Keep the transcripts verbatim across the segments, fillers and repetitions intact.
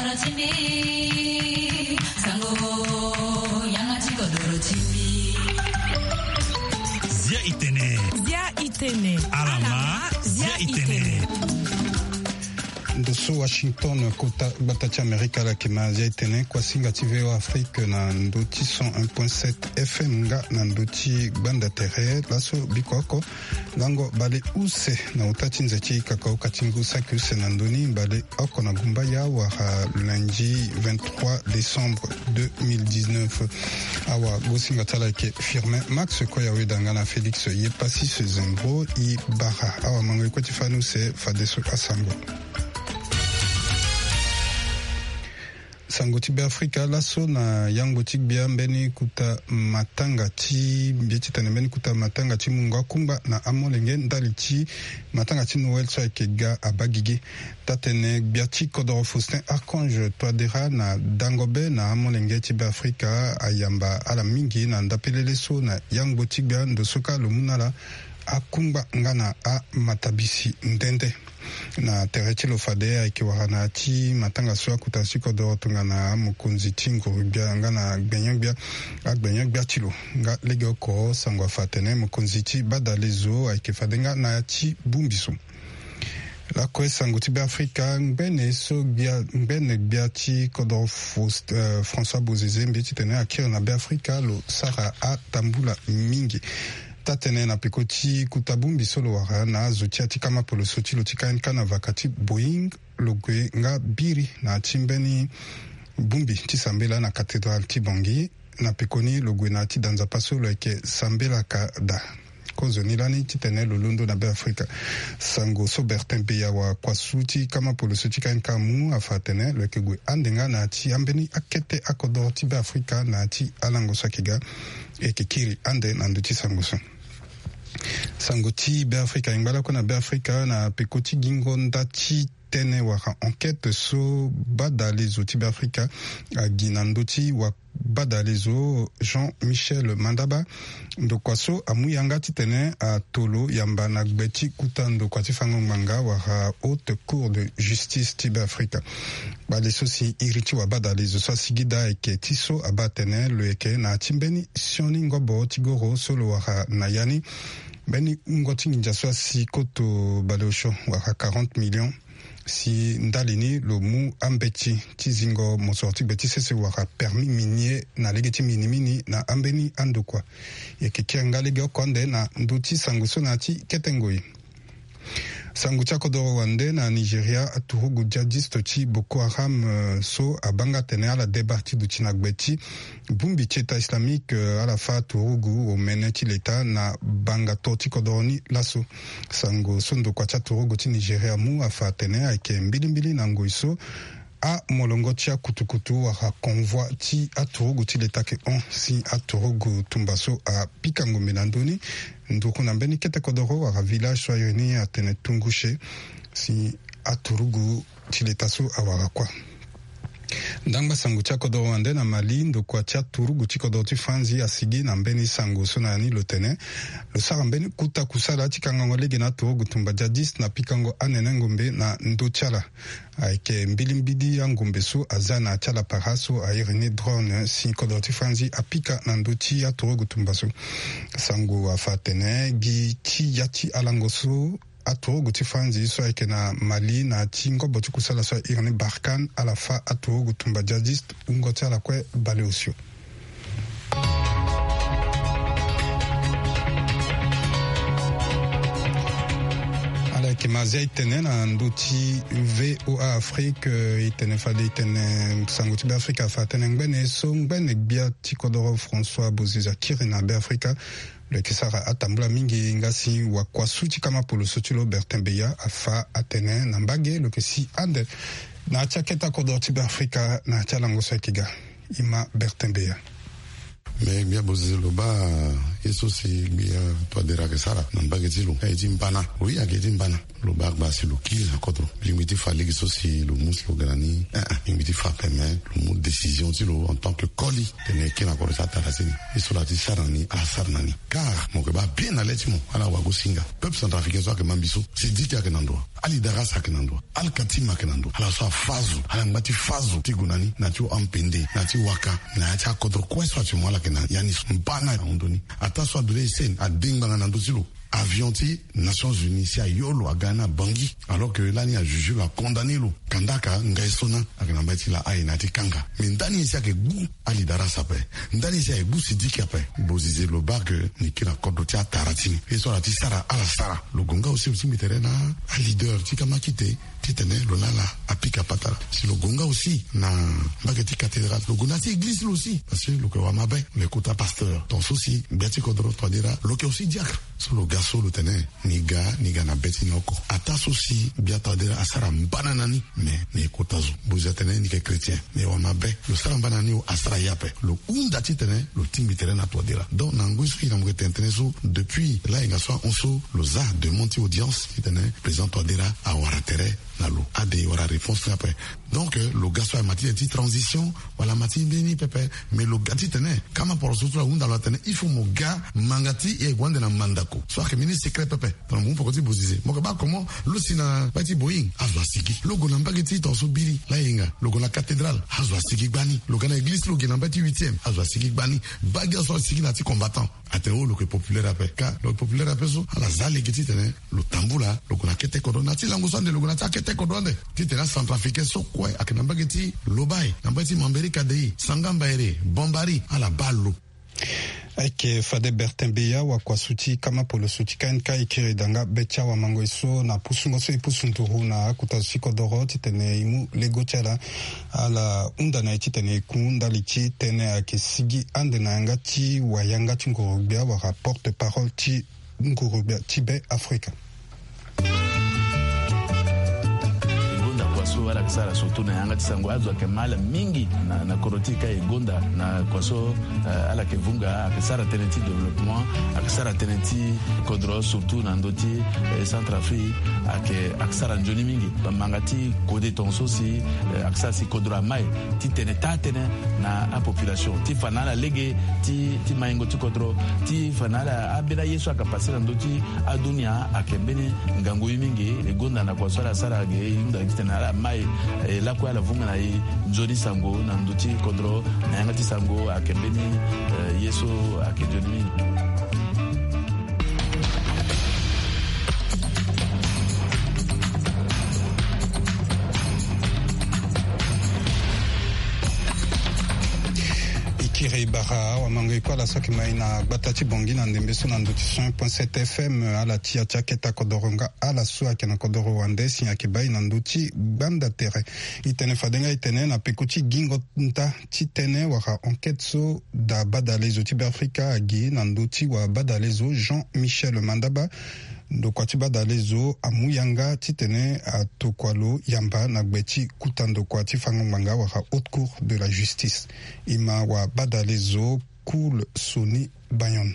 Zia itene. Zia itene. Alama, zia itene. Ndo so Washington, kota gbata ti Amerika, ala yeke ma zia itene. Kuasinga ti V O A Afrique na ndo ti cent un point sept F M nga na ndo ti gbanda tere. Laso biko oko lango bale use na ota ti nze ti kakaoka ti ngu saki use na ndo ni, bale oko na gumbaya wala lundi vingt-trois décembre deux mille dix-neuf. Awa gosinga ti ala ayeke Firmin Max Koyaweda nga na Félix Yepassis Zembro. E bara awa mango e kue ti fani use fadeso asango. Sango ti Beafrika. Laso na yango ti gbia mbeni kuta matanga ti mbi ti tene mbeni kuta matanga ti mungo akungba na amolenge ndali ti matanga ti Noël so ayeke ga abaa gigi. Taa-tene gbia ti kodoro Faustin Archange Touadéra na dango be na amolenge ti Beafrika ayamba ala mingi na ndapelele so na yango ti gbia ndo so kâ lo mu na ala akungba nga na amatabisi nde nde. Na tere ti lo fade ayeke wara na ya ti matanga so akuta ti kodoro tongana mokonzi ti nguru-gbia nga na gbenyo-gbia, agbenyo-gbia ti lo. Nga legeoko sango afa atene mokonzi ti badalezo ayeke fade nga na ya ti bongbi so. Lakue sango ti Beafrika, ngbene so gbia, ngbene gbia ti kodoro Faust-, eh, François Bozizé mbi ti tene akiri na Beafrika lo sara atambula mingi. Taa-tene na peko ti kuta bongbi so lo wara na azo ti ya ti kama poloso ti lo ti K N K na vaka ti Boeing, lo gue nga biri na ya ti mbeni bongbi ti sambela na cathédrale ti Bangui. Na pekoni lo gue na ya ti da nzapa so lo yeke sambelaka daa. Kozoni lani titene lo londo na Beafrika. Sango so Bertin Beya wa kuasu ti kama poloso ti K N K amu afa atene lo yeke gue ande nga na ya ti ambeni akete akodoro ti Beafrika na ya ti alango so ayeke ga. E yeke kiri ande na ndö ti sango so. Sango ti Beafrika, e ngba lakue na Beafrika na peko ti gingo nda ti tene wala enquête so badalezo ti Beafrika agi na ndö ti wa badalezo Jean-Michel Mandaba. Ndokua so amu yanga titene atolo yamba na gbe ti kuta ndokua ti fango ngbanga wala Haute Cour de Justice ti Beafrika. Bale so si iri ti wa badalezo so asigi daa ayeke ti so abaa atene lo yeke na ya ti mbeni sioni ngobo ti goro so lo wara na ya ni mbeni wungo ti nginza so asi koto baleosio wala quarante millions. Si ndali ni lo mu ambeti ti zingo mosoro ti gbe ti sese wala permis minier na lege ti minimini na ambeni andokua. E yeke kiri nga legeoko ande na ndö ti sango so na ya ti kete ngoi. Sango ti akodoro wande na Nigeria, aturugu djihadiste ti Boko Haram, eh, so abaa nga atene ala deba ti duti na gbe ti bongbi ti État islamique, eh, ala fâ aturugu omene ti leta na banga to ti kodoro ni laso. Sango so ndokua ti aturugu ti Nigeria amu afa atene ayeke mbilimbili na ngoi so amolongo ti akutukutu wala convoi ti aturugu ti leta ayeke hon si aturugu tumba so apika ngombe na ndö ni. Nduru na mbeni kete kodoro wala village so airi ni atene Tungushe si aturugu ti leta so awara kuâ. Ndangba sango ti akodoro wande na Mali, ndokua ti aturugu ti kodoro ti Franzi asigi na mbeni sango so na ya ni lo tene lo sara mbeni kuta kusala ti kangango lege na aturugu tumba djihadiste na pikango anene ngombe na ndö ti ala. Ayeke mbilimbili angombe so aza na ya ti ala para so airi ni drone si kodoro ti Franzi apika na ndö ti aturugu tumba so. Sango afa atene gi ti ya ti alango so aturugu ti Franzi so ayeke na Mali na ya ti ngobo ti kusala so airi ni Barkhane ala fâ aturugu tumba djihadiste wungo ti ala kue baleosio. Ala yeke ma zia e tene na ndö ti V O A Afrique, eh, e tene fade e tene sango ti Beafrika afa atene ngbene so ngbene gbia ti kodoro François Bozizé akiri na Beafrika. Lo yeke sara atambula mingi nga si wakuasu ti kama poloso ti lo Bertin Beya afa atene na mbage lo yeke si ande na ya ti akete akodoro ti Beafrika na ya ti alango so ayeke ga. E ma Bertin Beya. Me gbia Bozizé lo baa Ye so si gbia Touadéra ayeke sara na mbage ti lo, aye ti mbana. Oui, ayeke ti mbana. Lo baa gba si lo kiri na kodro. Lingbi ti fa lege so si lo mu si lo ga na ni, eh, eh, lingbi ti fa ape, me lo mu décision ti lo en tant que koli tene e kiri na kodro ti atara ti ni. Ye so lo ya ti sara na ni, ala sara na ni. Car mo yeke baa bien na le ti mo, ala wago singa. Peuple centrafricain so ayeke mambi so, si di ti ayeke na ndo wa. Ali Daras ayeke na ndo wa. Al Katim ayeke na ndo wa. Ala so afa azo, ala ngba ti fa azo ti gue na ni, na ti ampende, na ti waka, na ya ti akodro kue so ati mo, ala yeke na ya ni so. Mbana ahon ndo ni. Ataa so ado laa e seni, ade ngbanga na ndö ti lo. Avion ti Nations Unies si ayo lo aga ni na Bangui, alors que lani ajuge lo, acondamné lo. Kandaka ngai so na ayeke na mbage ti La Haye na ya ti kanga. Mais ndani nyen si ayeke gbu Ali Daras ape? Ndani nyen si ayeke gbu Sidiki ape? Bozize, lo baa ke ni kiri na kodro ti atara ti ni. Ye so ala ti sara, ala sara. Lo gue nga aussi lo tingbi tere na aleader ti kamakite titene lo na ala apika patara. Si lo gue nga aussi na mbage ti cathédrale, lo gue na ya ti église lo aussi, parce que lo yeke wamabe, lo yeke kota pasteur. Tongaso si gbia ti kodro Touadéra, lo yeke aussi diacre. So lo ga so lo tene ni ga, ni ga na be ti ni oko. Ataa so si gbia Touadéra asara mbana na ni, mais ni yeke kota zo. Bozize atene ni yeke chrétien, ni wamabe. Lo sara mbana na ni o, asara ye ape. Lo hunda titene lo tingbi tere na Touadéra. Donc na ngoi so e na mo yeke tene tënë so, depuis layenga so ahon so, lo za demande ti audience titene président Touadéra awara tere na lo, ade e wara réponse ni ape. Donc, euh, lo ga so ayeke ma ti tene ti transition, wala ma ti mbeni pepe. Mais lo ga titene kama poroso so ahunda lo atene il faut mo ga manga ti e gue ande na mandako. So ayeke mbeni secret pepe. Tongana mo mu peko ti bozize, mo yeke baa comment lo si na mbage ti Boeing, azo asigi. Lo gue na mbage ti tongaso biri layenga, lo gue na cathédrale, azo asigi gbani. Lo ga na église, lo gi na mbage ti huitième, azo asigi gbani. Baa gi azo so asigi na ya ti combattant. Atene o, lo yeke populaire ape. Ka lo yeke populaire ape so, ala za lege titene lo tambula, lo gue na kete kodro. Na ya ti lango so ande lo gue na ya ti akete kodro ande, titene acentrafricain so kue ayeke na mbage ti Lobaye, na mbage ti Mamberika Dei, Sangamba Ere, Bambari, ala baa lo. Ayeke fade Bertin Beya, wakua so ti kama poloso ti K N K, e kiri daa nga be ti awamangoi so na pusungo so e pusu nduru na akota zo ti kodoro titene e mu lego ti ala. Ala hunda na e titene e ku ndali ti tënë ayeke sigi ande na yanga ti wayanga ti nguru-gbia wala porte-parole ti nguru-gbia ti Be Afrika. E gonda kua so ala yeke sara surtout na yanga ti sango. Azo ayeke ma ala mingi na, na kodro ti e ka e gonda na kua so, eh, ala yeke vunga, ayeke sara tënë ti développement, ayeke sara tënë ti kodro surtout na ndö ti, eh, Centrafrique, ayeke, ayeke sara nzoni mingi. Bamanga ti kode tongaso si, eh, ayeke sara si kodro amai ti tene taa tënë na apopulation, ti fa na ala lege ti, ti maingo ti kodro, ti fa na ala ambeni aye so ayeke pase na ndö ti adunia. Ayeke mbeni ngangu ye mingi. E gonda na kua so ala sara ge, e hunda gi titene ala mai, eh, lakue ala vunga na e nzoni sango na ndö ti kodro, na yanga ti sango. Ayeke mbeni, eh, ye so ayeke nzoni mingi. E kiri bara awamangoi kue ala so ayeke mai na gbata ti Bangui na ndembe so na ndö ti cent point sept F M, ala ti ya ti aketa kodoro nga ala so ayeke na kodoro wande si ayeke bai na ndö ti gbanda tere. E tene fade nga e tene na peko ti gingo nta ti tënë wala enquête so daa badalezo ti Beafrika agi na ndö ti wabadalezo Jean Michel Mandaba. Ndokua ti badalezo amu yanga titene atokua lo yamba na gbe ti kuta ndokua ti fango ngbanga wala Haute Cour de la Justice. E ma wabadalezo Cool Sony Bayon.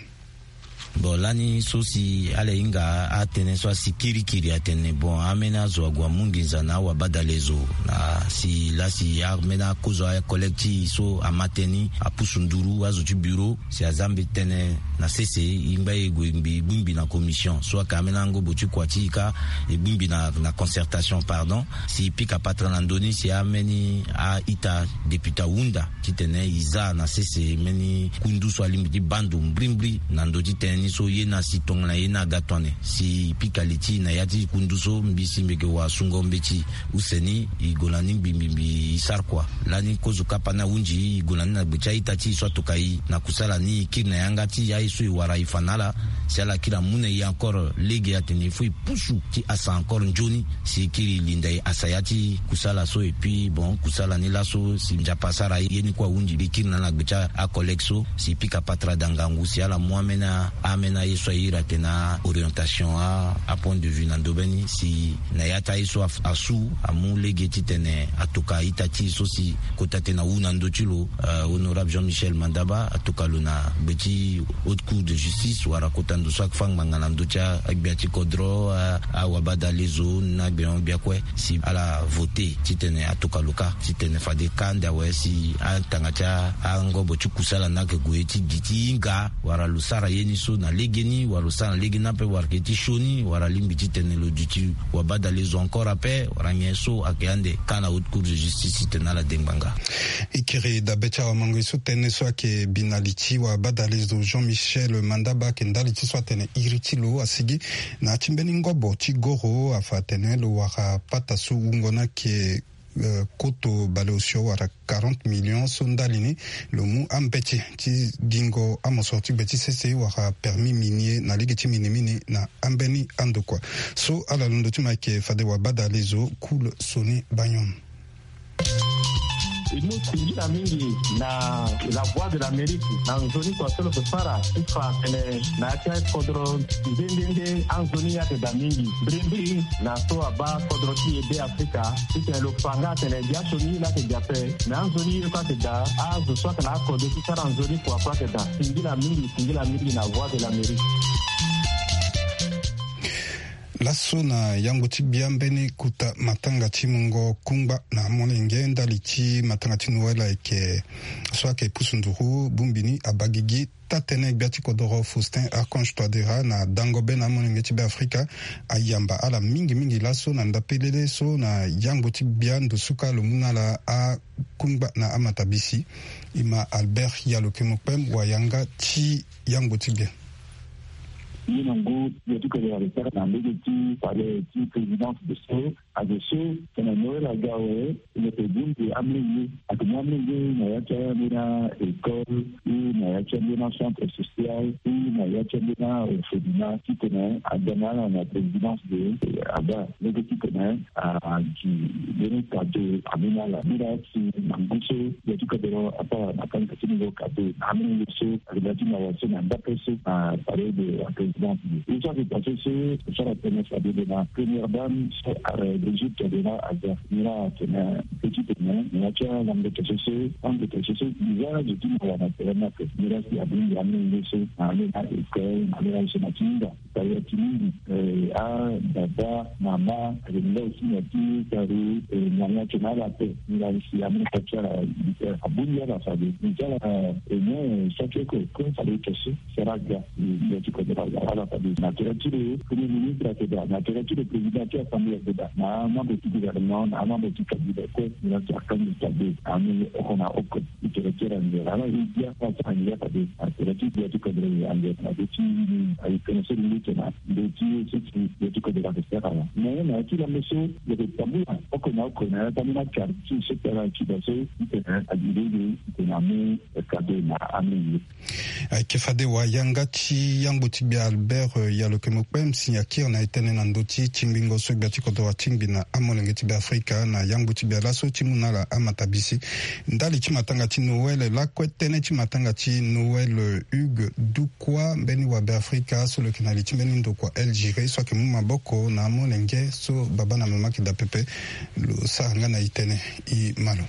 Bon, lani so si ala hinga atënë so asi kirikiri atene, bon, ambeni azo ague amu nginza na awabadalezo. Na si lasi ambeni akozo, acollègue ti e so ama tënë ni apusu nduru azo ti bureau si aza mbi tënë na sese, e ngba e gue mbi, e gbu mbi na commission. So ayeke ambeni angobo ti kua ti e ka, e gbu mbi na, na concertation, pardon. Si e pika patara na ndö ni si ambeni a-ita député ahunda titene e za na sese mbeni kundu so alingbi ti baa ndo mbrimbri na ndö ti tënë ni so ye na si tongana ye na aga tone. Si e pika li ti e na ya ti kundu so, mbi si mbi yeke wasungo mbeti. Use ni e gue na ni mbi, mbi, mbi e sara kua. Lani kozo kapa ni ahunzi e, e gue na ni na gbe ti a-ita ti e so atoka e na kusala ni, e kiri na yanga ti e aye so e wara e fa na ala. Si ala kiri amu na e encore lege atene il faut e pusu ti asa encore nzoni si e kiri linda e asa ya ti kusala so. Et puis bon, kusala ni laso si Nzapa asara ye ni kue ahunzi, e kiri na ala na gbe ti acollègue so si e pika patara daa ngangu si ala mu ambeni ambeni aye so a iri atene a orientation, a a point de vue na ndobeni si na ya ti aye so asu amu lege titene atoka ita ti e so si kota tene awu na ndö ti lo. Honorable Jean Michel Mandaba atoka lo na gbe ti Haute Cour de Justice wala kota ndo so ayeke fâ ngbanga na ndö ti agbia ti kodro, awabadalezo na gbia gbia kue si ala vote titene atoka lo kâ titene fade kâ nda awe si atanga ti angobo ti kusala ni ayeke gue ti gi ti hinga wala lo sara ye ni so na legeni wala lo sara na legeni ape wala yeke ti sioni wala alingbi titene lo duti wabadalezo encore ape wala nyen so ayeke ande kâ na Haute Cour de Justice titene ala de ngbanga. E kiri dabe ti awamango-e so tënë so ayeke bi na li ti wabadalezo Jean Michel Mandaba ayeke ndali ti so atene iri ti lo asigi na ya ti mbeni ngobo ti goro afa atene lo wara pata so wungo ni ayeke koto baleosio wala quarante millions so ndali ni lo mu ambeti ti gingo amosoro ti gbe ti sese wala permis minier na lege ti minimini na ambeni andokua so ala londo ti mo ayeke fade wabadalezo Cool Sony Bagnon. E mu singila mingi na La Voix de l'Amérique na nzoni kua so lo yeke sara ti fa atene na ya ti akodro nde nde nde anzoni ye ayeke daa mingi mbirimbiri na so abaa kodro ti e Be Afrika titene lo fa nga atene biasioni ye laa ayeke daa ape. Me anzoni ye kue ayeke daa, azo so ayeke na akode ti sara nzoni kua kue ayeke daa. Singila mingi, singila mingi na Voix de l'Amérique. Laso na yango ti gbia mbeni kota matanga ti mungo kungba na amolenge ndali ti matanga ti Noël ayeke so ayeke pusu nduru bongbi ni abagigi taa-tënë gbia ti kodoro Faustin Archange Touadéra na dango be na amolenge ti Be Afrika ayamba ala mingi mingi laso na ndapelele so na yango ti gbia ndo so kâ lo mu na ala akungba na amatabisi. E ma Albert Yalokemo Kpem wayanga ti yango ti gbia. Ye na ngu ye ti kodoro ayeke sara na lege ti palais ti présidence de so Azo so tene Noël aga awe, lo yeke bongbi amolenge. Ayeke mu amolenge na ya ti ambeni école ou na ya ti ambeni centre social ou na ya ti ambeni orphelinat titene aga na ala na présidence de, aga lege titene agi mbeni cadeau ambeni ala. Ni laa si na ngu so ya ti kodoro asara na kanga ti lo cadeau na amolenge so. Ayeke na ya ti mawa so na ndapre so na palais de la présidence. Ye so ayeke daa so so asara tënë fade lo na première dame so are l'Égypte lo laa aza. Ni laa atene petit tene na ya ti alango to so so, lango to so so, biza zo ti mawa na tere ni ape. Ni laa si abongbi amolenge so na ambeni école, na ambeni aye so na ti hinga. Tara ya ti mingi, eh, ababa, mama, ayeke na aussi na ya ti tara, eh, na ya ti na ala ape. Ni laa si amolenge ti ala, eh, abongbi ala fade. Ni ti ala, eh, nyen, eh, saki oko, kue fade to so. Sara ga, eh, ya ti kodoro aga ala fade. Na tere ti lo premier ministre ayeke daa, na tere ti lo président ti assemblée ayeke daa, na amembre ti gouvernement, na amembre ti cabinet kue. Ni laa si akangbi fade. Amolenge oko na oko. Ti tere ti ala nzere ala ye gbia ala sara ngia fade. Na tere ti gbia ti kodro ye anzere na be ti ni aye tënë so lili tene na ndö ti ye so ti gbia ti kodro ayeke sara ala. Mais na ya ti lango so lo yeke tambula oko na oko na ya ti ambeni akarti so ti ala ti da so ti tene agi lege ti tene amu kado na amolenge. Ayeke fade wayanga ti yangbo ti gbia Albert, eh, Yalokemo Kpem si akiri na e tënë na ndö ti tingbingo so gbia ti kodro atingbi na amolenge ti Beafrika na yangbo ti gbia laso ti mu na ala amatabisi. Ndali ti matanga ti Noël lakue tënë ti matanga ti Noël, eh, Hugues Dukwa mbeni wa Beafrika so lo yeke na li ti mbeni ndokua Algérie so ayeke mu maboko na amolenge so baba na mama ayeke daa pepe. Lo sara nga na e tënë, e ma lo.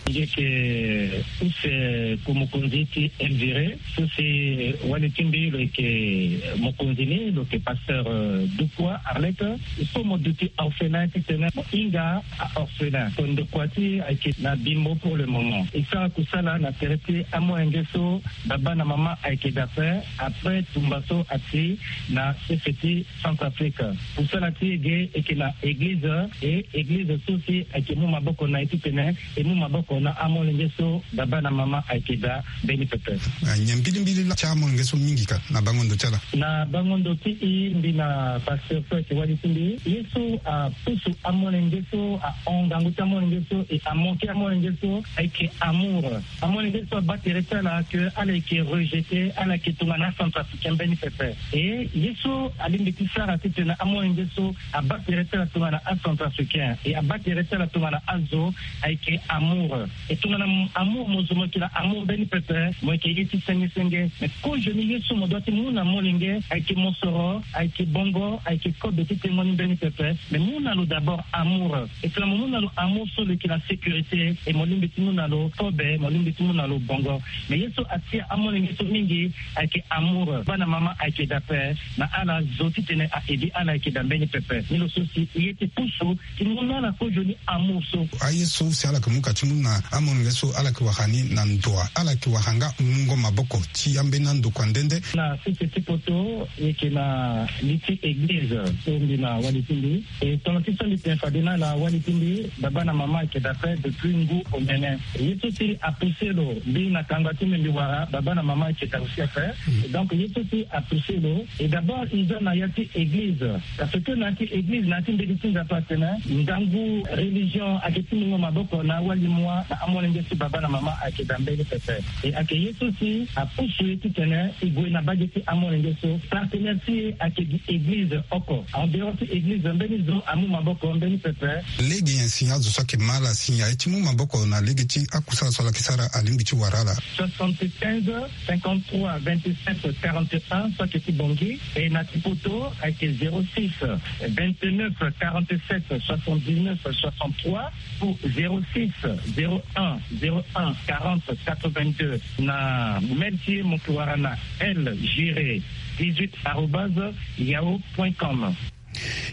Nge yeke use ku mokonzi ti Elvire so si wali ti mbi lo yeke mokonzi ni lo yeke pasteur, euh, Dukwa Arlette. So mo duti orphelin titene mo hinga a-orphelin. Kondokua ti ayeke na bimbo pour le moment. E sara kusala na tere ti amolenge so baba na mama ayeke daa ape après tumba so ati na sese ti Centrafrique. Kusala ti e ge e yeke na eglize, e eglize so si ayeke mu maboko na e titene e mu maboko na amolenge so baba na mama ayeke daa mbeni pepe. Nyen mbilimbili laa ti amolenge so mingi ka na bango ndo ti ala? Na bango ndo ti e mbi na pasteur so ayeke wali ti mbi, ye so apusu amolenge so ahon ngangu ti amolenge so e amanke amolenge so ayeke amour. Amolenge so abaa tere ti ala ke ala yeke rejeté, ala yeke tongana acentrafricain mbeni pepe. E ye so alingbi ti sara titene amolenge so abaa tere ti ala tongana acentrafricain e abaa tere ti ala tongana azo ayeke amour. E tongana amour mo zo mo yeke na amour mbeni pepe, mo yeke ye ti senge senge. Me kozoni ye so mo doit ti mu na molenge ayeke mosoro, ayeke bongo, ayeke kobe ti tengo ni mbeni pepe. Me mu na lo d'abord amour. E tongana mo mu na lo amour so lo yeke na sécurité, e mo lingbi ti mu na lo kobe, mo lingbi ti mu na lo bongo. Me ye so atia amolenge so mingi ayeke amour. Baba na mama ayeke daa ape. Na ala zo titene a aidé ala ayeke daa mbeni pepe. Ni lo so si e ye ti pusu ti mu na ala kozoni amour so. Aye so si ala yeke mu ka ti mu na amolenge so ala yeke wara ni na ndoa, ala yeke wara nga mungo maboko ti ambeni andokua nde nde. Na sese ti poto e yeke na li ti église so mbi na wali ti mbi. E tongana ti so mbi tene fade na ala wali ti mbi, baba na mama ayeke daa ape depuis ngu omene. Ye so si apoussé lo mbi na kangba ti mbi mbi wara, baba na mama ayeke daa aussi ape. Donc ye so si apoussé lo, e d'abord e za na ya ti église. Parce que na ya ti église na ya ti mbeti ti Nzapa atene ngangu religion ayeke ti mungo maboko na awali mua na amolenge so baba na mama ayeke daa mbeni pepe. E ayeke ye so si apusu e titene e gue na bage ti amolenge so. Partenaire ti e ayeke gi église oko. En dehors ti église mbeni zo amu maboko mbeni pepe. Lege nyen si azo so ayeke ma ala si aye ti mu maboko na lege ti akusala so ala yeke sara alingbi ti wara ala? Soixante-quinze, cinquante-trois, vingt-sept, quarante et un, so ayeke ti Bangui. E na ti poto ayeke zéro six, vingt-neuf, quarante-sept, soixante-dix-neuf, soixante-trois, ou zéro six, zéro un, zéro un, quarante, quatre-vingt-deux. Na mail ti e mo yeke wara na L Giré dix-huit arobase yahoo point com.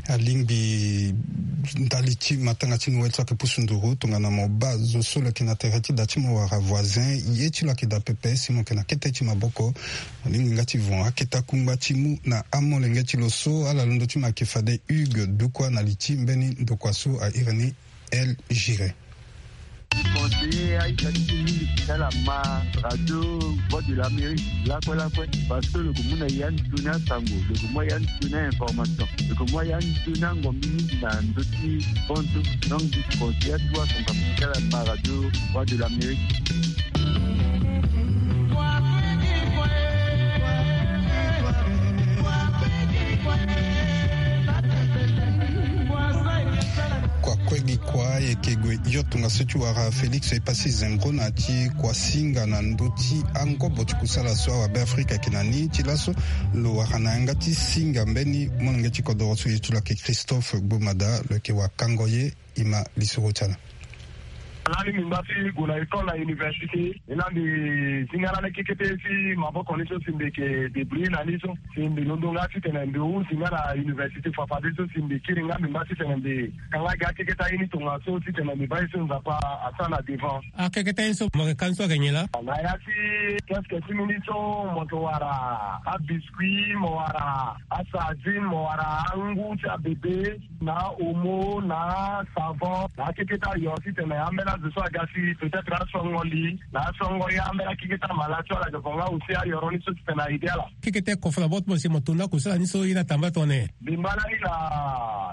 Alingbi ndali ti matanga ti Noël so ayeke pusu nduru tongana mo baa zo so lo yeke na tere ti da ti mo wala voisin, ye ti lo ayeke daa pepe si mo yeke na kete ti maboko. Mo lingbi nga ti vo akete akungba ti mu na amolenge ti lo so. Ala londo ti mo ayeke fade Hugues Dukua na li ti mbeni ndokua so a iri ni El Giré. Conseiller Aïssa ti mingi ti ala ma radio Voix de l'Amérique lakue lakue, parce que lo yeke mu na ya nzoni asango, lo yeke mu ya nzoni information, lo yeke mu ya nzoni angombi mingi na ndö ti bantu. Donc mbi conseiller atuwa asango ti ala ma radio Voix de l'Amérique. Kua kue gi kua e yeke gue hio tongaso ti wara Félix Epassi Zembro na ti kua singa na ndö ti angobo ti kusala so awabe Afrika ayeke na ni. Ti laso lo wara na yanga ti singa mbeni molenge ti kodoro so ye ti lo ayeke Christophe Gbomada, lo yeke wakango ye. E ma lisoro ti ala. Lani mbi ngba ti gue na école na université. E laa mbi zi nga lani kekete ti maboko ni so si mbi yeke débrouiller na ni so. Si mbi londo nga titene mbi hunda nga na université fafade so si mbi kiri nga mbi ngba titene mbi ka nga gi akekete aye ni tongaso titene mbi baa ye so Nzapa asara na devant. Akekete aye so mo yeke ka ni so ayeke nyen laa? Na ya ti kiosque ti mbi ni so mo yeke wara abiscuit, mo wara asardine, mo wara angu ti abebe. Na omo, na savon, na akekete ayo titene ambeni azo so aga si peut-être asongo li, na asongo ye ambeni akekete amala so ala yeke vo nga aussi ayoro ni so titene a aidé ala. Kekete kofo na boko ti mo si mo to ndako so ala ni so ye ni atambula tongana nyen? Mbi ngba lani na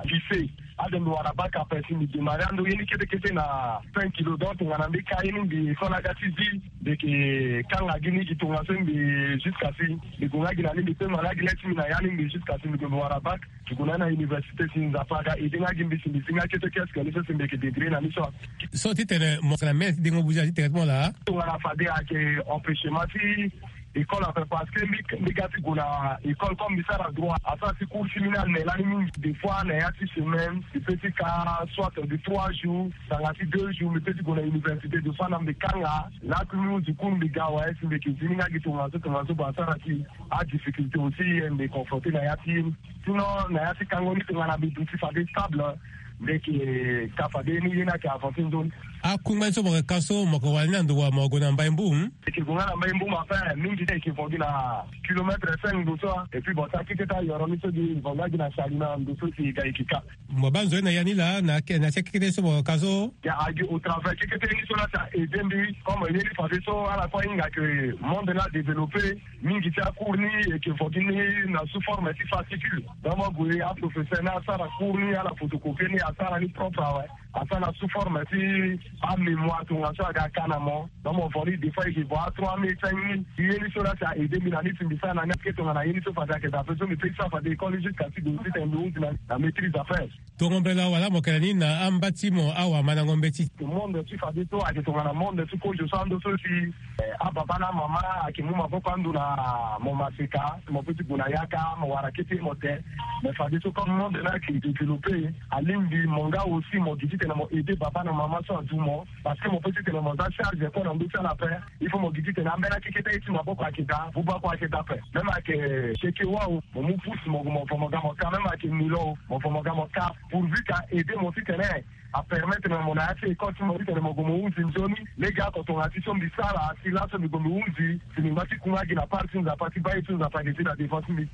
lycée. Ade mbi wara bac ape si mbi démarrer ando ye ni kete kete na cinq kilos. Donc tongana mbi ka ye ni mbi so na aga ti zi mbi yeke kanga gi ni gi tongaso mbi jusqu'à si mbi gue nga gi na ni mbi pema na gi le ti mbi na ya ni mbi jusqu'à si mbi gue mbi wara bac. Ti gue na ni na université si Nzapa aga aidé nga gi mbi si mbi zi nga kete kiosque ni so si mbi yeke débrouiller na ni so. So titene mo yeke na mene ti dengo buze na ti tere ti mo laa? Tongana fade ayeke empêchement ti école ape parce que mbi mbi ga ti gue na école comme mbi sara droit asara ti cours ti mbi ni ane lani mingi. Des fois na ya ti semaine mbi peut ti ka soit de trois jours tanga ti deux jours mbi peut ti gue na université. Des fois na mbi kanga laa ti mbi hundi cours mbi ga awe si mbi yeke zi ni nga gi tongaso tongaso bon asara ti adifficulté aussi mbi confronté na ya ti ye ni. Sinon na ya ti kango ni tongana mbi duti fade stable. Nde eke ka fade ni ye ni ake avanse nzoni. Akungba ni so mo yeke ka so mo yeke wara ni na ndo wa mo gue na mbai mbu? Eke gue nga na mbai mbu ma fin mingi te eke vo gi na kilomètre cinq ndo so. Et puis bon, sa keke ta yoro ni so gi vo nga gi na sali na ndo so si ga eke ka. Mo baa nzoni na ya ni laa na ke- na sia kekete so mo ka so? Ya agi au travers kekete ni so la sa aide mbi comme ye ni fade so ala kue ahinga ke monde ni adéveloppé mingi ti acours ni eke vo gi ni na sous forme ti fascicule. Donc mo gue aprofesseur ni asara cours ni ala photocopie ni asara ni propre awe. Asara sous forme ti amémoire tongaso aga ka na mo. Donc mo vo ni des fois eke vo a trois mai ti aye ni. Ye ni so la sa aide mbi na ni si mbi sara na ni ake tongana ye ni so fade ayeke daa ape so mbi pe ti sara fade école jusqu'à ti gue titene mbi hunzi na maîtrise ape. Tongo mbela wala mo yeke na ni na amba ti mo awamandango mbeti? Monde ti fadeso ayeke tongana monde ti kozo so ando so si ababa na amama ayeke mu maboko ando na mo maseka mo pe ti gue na yaka mo wara kete mo te. Mais fadeso comme monde ni ayeke développé alingbi mo nga aussi mo gi titene mo aide baba na mama so adu mo. Parce que mo pe titene mo za charge kue na ndö ti ala ape. Il faut mo gi titene ambeni akeketa ye ti maboko ayeke daa buba kue ayeke daa ape. Même ayeke keke wa o mo mu pousse mo gue mo vo mo ga mo ka même ayeke milo o mo vo mo ga mo ka. Pourvu ka aide mo titene apermettre na mo na ya ti école ti mo titene mo gue mo hunzi nzoni. Lege ako tongana ti so mbi sara si laso mbi gue mbi hunzi si mbi ngba ti kunga gi na part ti nzapa ti baa ye ti nzapa ayeke ti na devant ti mbi.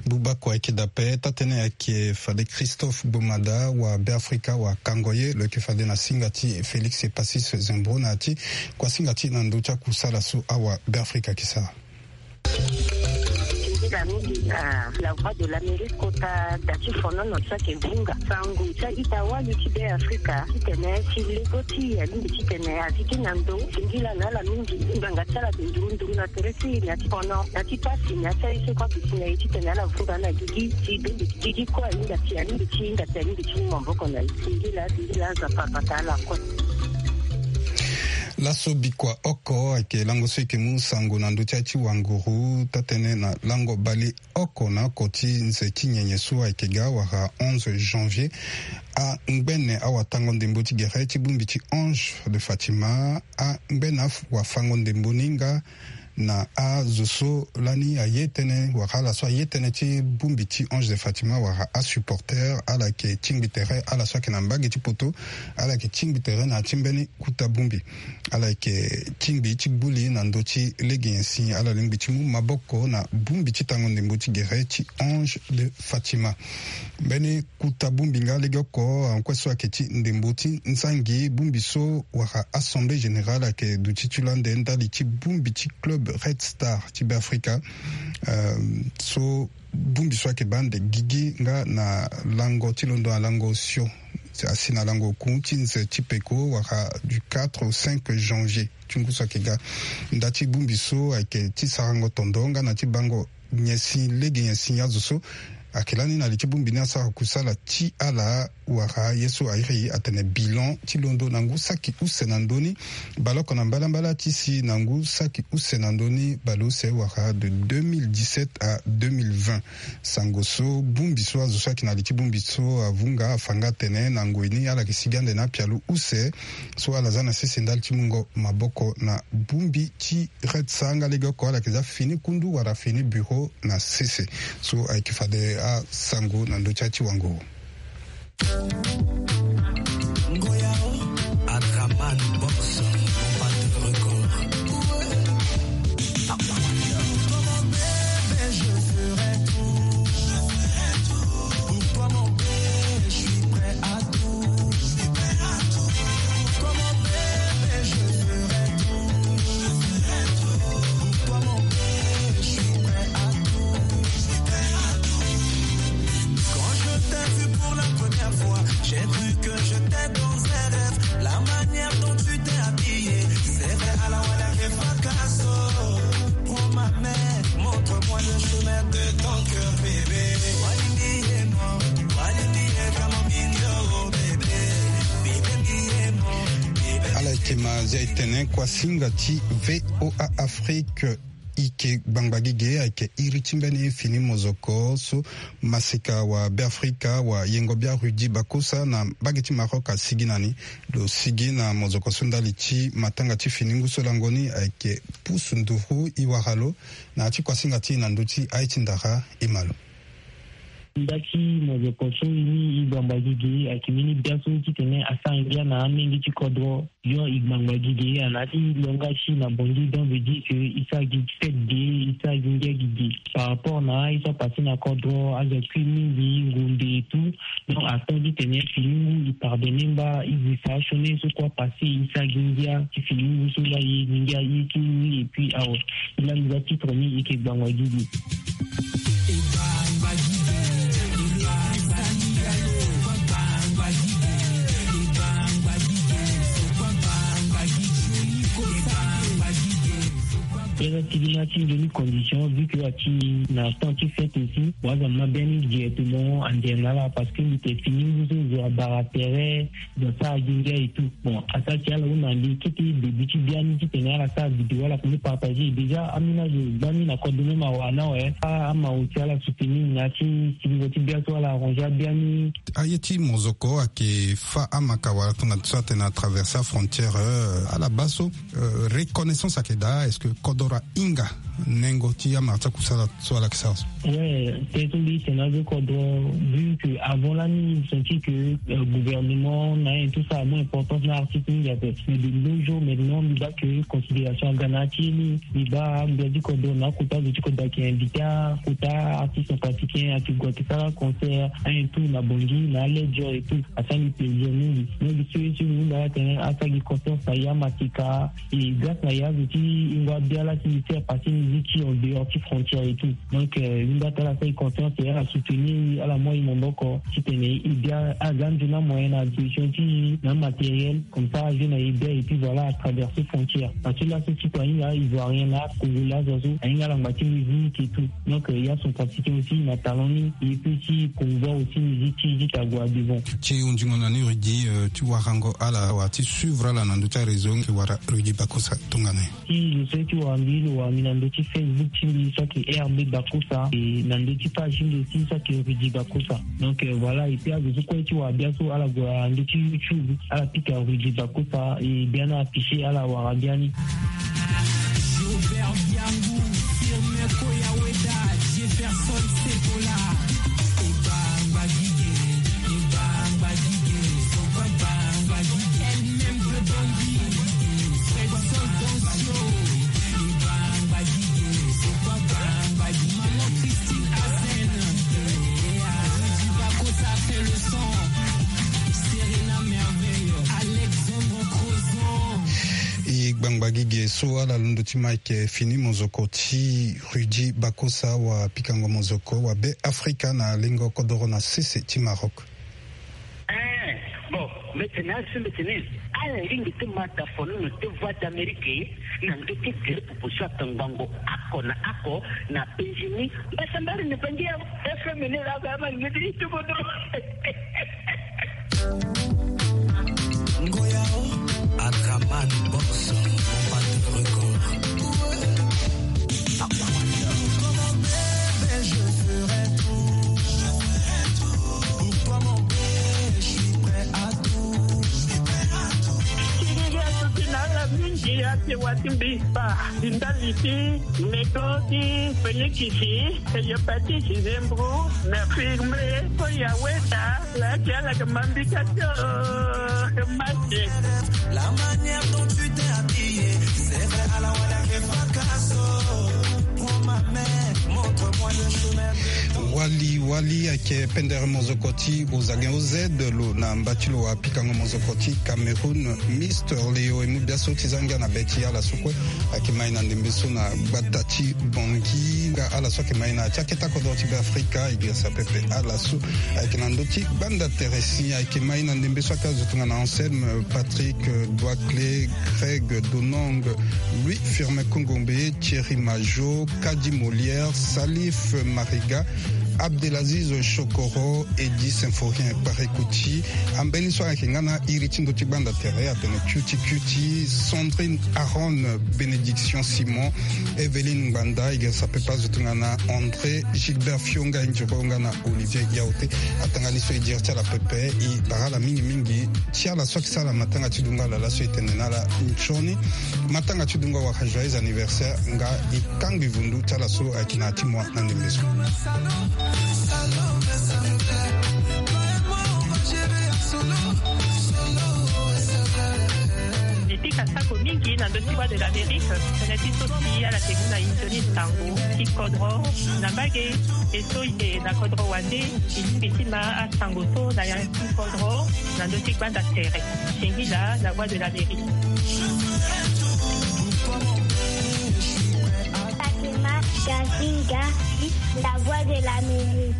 Buba kue ayeke daa ape taa-tënë ayeke fade Christophe Gbomada wa Beafrika wa kango ye lo yeke fade na singa ti Félix Epacis Zembro na ya ti kuasinga ti na ndö ti akusala so awa Beafrika ayeke sara. Singila mingi na La Voix de l'Amérique kota da ti fonono so ayeke vunga sango ti a-ita wali ti Beafrika titene si lego ti e alingbi titene azi ti na ndo. Singila na ala mingi ngbanga ti ala ayeke nduru nduru na tere ti e na ya ti fono na ya ti pasi na ya ti aye so kue aduti na e titene ala vunga na gigi ti bembe gigi kue ahinga ti alingbi ti hinga ti alingbi ti mu maboko na e. Singila singila Nzapa abata ala kue. Laso bikua oko ayeke lango so e yeke mu sango na ndö ti aye ti wanguru taa-tënë na lango bale oko na oko ti nze ti nyenye so ayeke ga wala onze janvier. Angbene awatango ndembo ti gere ti bongbi ti Ange de Fatima angbene awafango ndembo ni nga na azo so lani aye tënë wala ala so aye tënë ti bongbi ti Ange de Fatima wala asupporter ala yeke tingbi tere ala so ayeke na mbage ti poto. Ala yeke tingbi tere na ya ti mbeni kuta bongbi. Ala yeke tingbi ti gbu li na ndö ti lege nyen si ala lingbi ti mu maboko na bongbi ti tango ndembo ti gere ti Ange de Fatima. Mbeni kuta bongbi nga legeoko akue so ayeke ti ndembo ti nzangi bongbi so wala assemblée générale ayeke duti ti lo ande ndali ti bongbi ti club Red Star ti Beafrika. So bongbi so ayeke baa ande gigi nga na lango ti londo na lango osio asi na lango oku ti nze ti peko wala du quatre au cinq janvier ti ngu so ayeke ga. Nda ti bongbi so ayeke ti sarango tondo nga na ti bango nyen si lege nyen si azo so ayeke lani na li ti bongbi ni asara kusala ti ala wala ye so airi atene bilan ti londo na ngu saki use na ndö ni. Baleoko na mbalambala ti si na ngu saki use na ndö ni baleuse wala de deux mille dix-sept à deux mille vingt. Sango so bongbi so azo so ayeke na li ti bongbi so avunga afa nga atene na ngoi ni ala yeke sigi ande na apialo use so ala za na sese ndali ti mungo maboko na bongbi ti Red Star nga legeoko ala yeke za fini kundu wala fini bureau na sese. So ayeke fade asango na ndö ti ya ti wango. Ngoya o, Adraman Box, Bombard Record. Pour toi, mon bébé, je ferai tout. Pour toi, mon bébé, je suis prêt à tout. Pour toi, mon bébé, je ferai tout. Pour toi, mon bébé, je suis prêt à tout. Quand je t'ai vu pour la première fois, j'ai cru que j'étais dans un rêve. La manière dont tu t'es habillée, c'est vrai, à la wala ke fracasso. Prends ma main, montre-moi le chemin de ton cœur, bébé. Walimbi ye mo, walimbi ye kamo mindio, bébé. Bibe mi ye mo, bibe. Ala yeke ma zia e tene kuasinga ti V O A Afrique. Ike gbangba gege ayeke iri ti mbeni fini mozoko so maseka wa Beafrika wa yengo bia Rudy Bakosa na mbage ti Maroc asigi na ni. Lo sigi na mozoko so ndali ti matanga ti fini ngu so lango ni ayeke pusu nduru e wara lo na ya ti kuasinga ti e na ndö ti aye ti ndara e ma lo. Nda ti mozoko so i ni i gbangba gigi ayeke mbeni biaso titene asara ngia na amenge ti kodro. Yo i gbangba gigi ana ti longa si na bongi donc veut dire que i sara gi fête ge, i sara gi ngia gigi par rapport na aye so apase na kodro aza kui mingi ngombe et tout. Donc attend titene filingu i pardonne mba i zi sa sioni so kue apase i sara gi ngia ti filingu so nga ye gi ngia ye ti ni et puis awe. Ila mbi za titre ni ike gbangba gigi. Pesa ti gi na ti nzoni condition vu que ati na temps ti fête aussi waza ma biani directement andiana la parce que mbi te fini ngu so zo abara tere. Zo asara gi ngia et tout. Bon asa ti ala hunda mbi kete début ti biani titene ala sara vidéo ala koni partager déjà amina zo gbani na code même awa na we. Ama oti ala soutenir na ti sibigo ti biaso ala arranger abiani. Aye ti mozoko ayeke fa amaka wala tongana so atene atraverser afrontière. Ala baa so reconnaissance ayeke daa est-ce que kodro ahinga nengo ti amara ti akusala so ala yeke sara so? Ouais, te so mbi tene azo kodro vu que avant lani mbi senti que gouvernement na ye tout ça amu importance na artiste mingi ape. Mais de nos jours maintenant mbi baa que considération aga na ya ti ye ni. Mbi baa mbia ti kodro na akota zo ti kodro ayeke invité akota artiste centrafricain ayeke gue ayeke sara concert ayen tout na bongi na aledger et tout. Asara mbi plaisir mingi. Mingi so ye so mbi hunda atene asara gi confiance na ya masika. Et grâce na ya zo ti hingo abiala ti mbi ti apase musique ti en dehors ti frontière et tout. Donc mbi hunda atene ala sara gi confiance et ala soutenir ala mu aye maboko titene e bia aza nzoni amoyen na disposition ti na matériel. Comme ça azo na e bia et puis voilà atraverser frontière parce que laso ti kua ahinga ivoirien na congolais azo so ahinga alangba ti musique et tout. Donc ya centrafricain aussi na talent ni e peut ti promouvoir aussi musique ti ti ta gua devant. Ti hundingo na ni Rudy ti warango ala wala ti suivre ala na ndö ti aréseau. Ti wara Rudy Bakosa tongana ye. Ti zo so ye ti wara mbi lo wara mbi na ndö ti Facebook ti mbi so ayeke R B Bakosa et na ndö ti page ti mbi aussi so ayeke Rudy Bakosa. Donc voilà et puis azo so kue ye ti wara biaso ala gue na ndö ti YouTube ala pika Rudy Bakosa et biani afficher ala wara biani. Jobert Biangou, Firmin Koyaweda, Jefferson Sekola. E gbangba gi ge so ala londo ti ma ayeke fini mozoko ti Rudy Bakosa wa pikango mozoko wa Be Afrika na lengo kodoro na sese ti Maroc. Eh, bon, mbi tene asi mbi tene ala ringi ti ma dafono na te Voix d'Amérique na ndö ti gere popo so atangbango ako na ako na penzi ni. Mbasambari ni bangi ya F M ni la ba ma ngedi ti kodoro. Ngoyao, Adraman Boss, Combat Record. Pour toi mon bébé, je ferai tout. Pour toi mon bébé, je suis prêt à tout. Kingi asuti na ala mingi ake wati mbi pa. Ndali ti meko ti pelikisi. Hépatite, Zembrou, na firme, ko ya weda, la ti ala ke mambi ka tio, ke mate. La manière dont tu t'es habillé, c'est vrai, ala wala ke fakaso. Prends ma main, montre-moi le chemin de ton. Wali, wali, ayeke pendere mozoko ti Ozagen O Z lo na mba ti lo wa pikango mozoko ti Cameroun. Mister Leo e mu biaso ti za ngia na be ti ala so kue. Ayeke ma e na ndembe so na gbata ti Bangui nga ala so ayeke ma e na ya ti akete kodro ti Be Afrika e girisa pepe ala so ayeke na ndö ti gbanda tere si ayeke ma e na ndembe so ake azo tongana Anselme, Patrick, Doicle, Greg Donong, Louis Firmin Kongombe, Thierry Majo, Kadi Molière, Salif Mariga, Abdelaziz Chokoro, Eddy Symphorien Parekouti. Ambeni so ayeke nga na iri ti ndö ti gbanda tere atene Cuti Cuti, Sandrine Aaron, Bénédiction Simon, Evelyne Ngbanda, e girisa pepe azo tongana André Gilbert Fionga, e ndiro nga na Olivier Yaoté. Atanga ni so e diri ti ala pepe, e bara ala mingi mingi ti ala so ayeke sara matanga ti dungo ala laso e tene na ala nzoni matanga ti dungo awara joyeux anniversaire nga e kangbi vundu ti ala so ayeke na ya ti moi na ndembe so. Mbi pika sako mingi na ndö ti Voix de l'Amérique, tënë ti so si ala ke gi na e nzoni sango ti kodro na mbage. E so e na kodro wande, e lingbi ti ma asango so na ya ti kodro na ndö ti gbanda tere. Singila, La Voix de l'Amérique. Fatima Gazinga, La Voix de l'Amérique.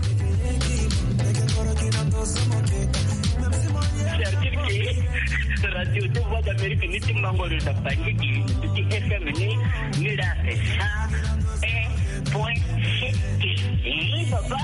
Certifié radio ti Voix d'Amérique ni ti mango lo da bangi ti F M ni, ni la sa. Point. Baba.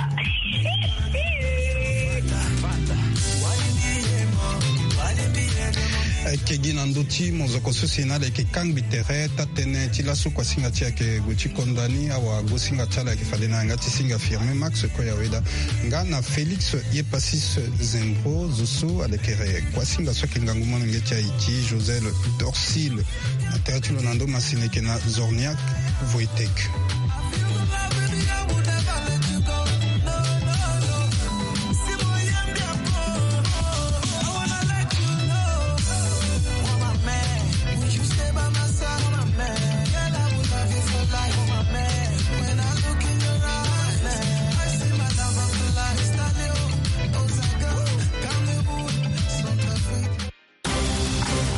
Ayeke gi na ndö ti mozoko so si na ala yeke kangbi tere taa-tënë ti laso kuasinga ti ayeke gue ti konda ni. Awagosinga ti ala ayeke fade na yanga ti singa Firmin Max Koyaweda nga na Félix Yepasis Zembro, zo so ala yeke kuasinga so ayeke ngangu molenge ti Haïti, Josel Dorsil. Na tere ti lo na ndo masini ayeke na Zorniak Wojtek.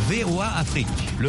V O A Afrique.